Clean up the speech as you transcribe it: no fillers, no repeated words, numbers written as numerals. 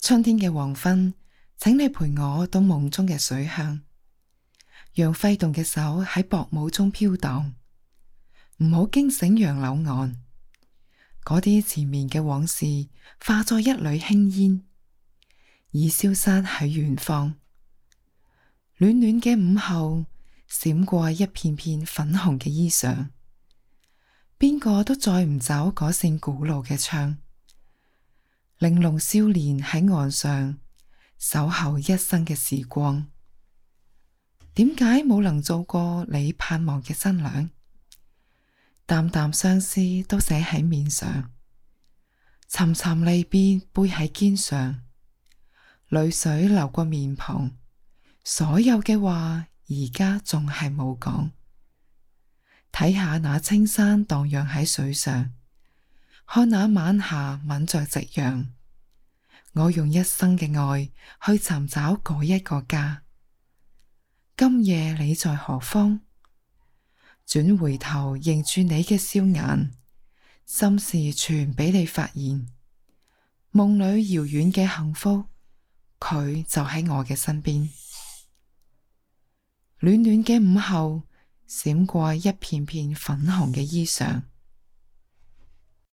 春天嘅黃昏，請你陪我到夢中嘅水鄉，讓揮動嘅手喺薄霧中飄蕩，唔好驚醒楊柳岸。嗰啲纏綿嘅往事化作一縷輕煙，已消失喺遠方。暖暖嘅午後，閃過一片片粉紅嘅衣裳，邊個都載唔走嗰扇古老嘅窗。玲瓏少年喺岸上守候一生嘅時光，點解冇能做過你盼望嘅新娘？淡淡相思都寫喺面上，沉沉離別背喺肩上，淚水流過面龐，所有嘅話而家仲係冇講。睇下那青山蕩漾喺水上，看那晚霞吻着夕陽，我用一生嘅愛去尋找嗰一個家。今夜你在何方？轉回頭迎住你嘅笑顏，心事全俾你發現。夢裏遙遠嘅幸福，佢就喺我嘅身邊。暖暖嘅午後，閃過一片片粉紅嘅衣裳。